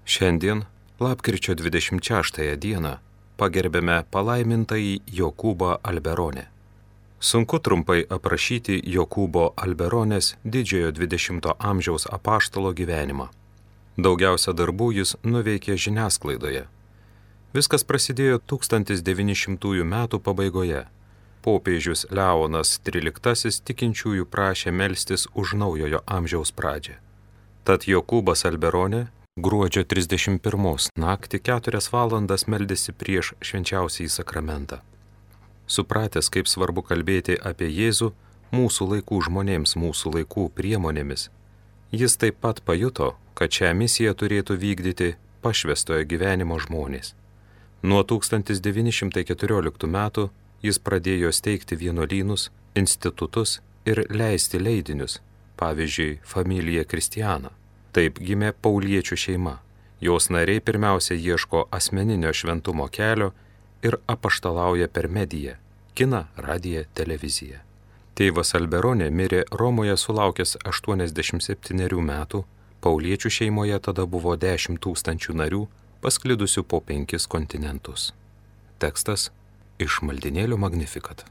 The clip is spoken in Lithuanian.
Šiandien, lapkričio 26 dieną, pagerbėme palaimintąjį Jokūbą Alberonę. Sunku trumpai aprašyti Jokūbo Alberonės didžiojo 20 amžiaus apaštalo gyvenimą. Daugiausia darbų jis nuveikė žiniasklaidoje. Viskas prasidėjo 1900 metų pabaigoje. Popiežius Leonas XIII tikinčiųjų prašė melstis už naujojo amžiaus pradžią. Tad Jokūbas Alberonė gruodžio 31 naktį 4 valandas meldėsi prieš švenčiausiąjį sakramentą. Supratęs, kaip svarbu kalbėti apie Jėzų mūsų laikų žmonėms mūsų laikų priemonėmis, jis taip pat pajuto, kad šią misiją turėtų vykdyti pašvęstojo gyvenimo žmonės. Nuo 1914 metų jis pradėjo steigti vienuolynus, institutus ir leisti leidinius, pavyzdžiui, Familija Kristiana. Taip gimė pauliečių šeima. Jos nariai pirmiausia ieško asmeninio šventumo kelio ir apaštalauja per mediją – kiną, radiją, televiziją. Tėvas Alberonė mirė Romoje sulaukęs 87 metų, pauliečių šeimoje tada buvo 10 000 narių, pasklidusių po 5 kontinentus. Tekstas iš maldynėlio Magnificat.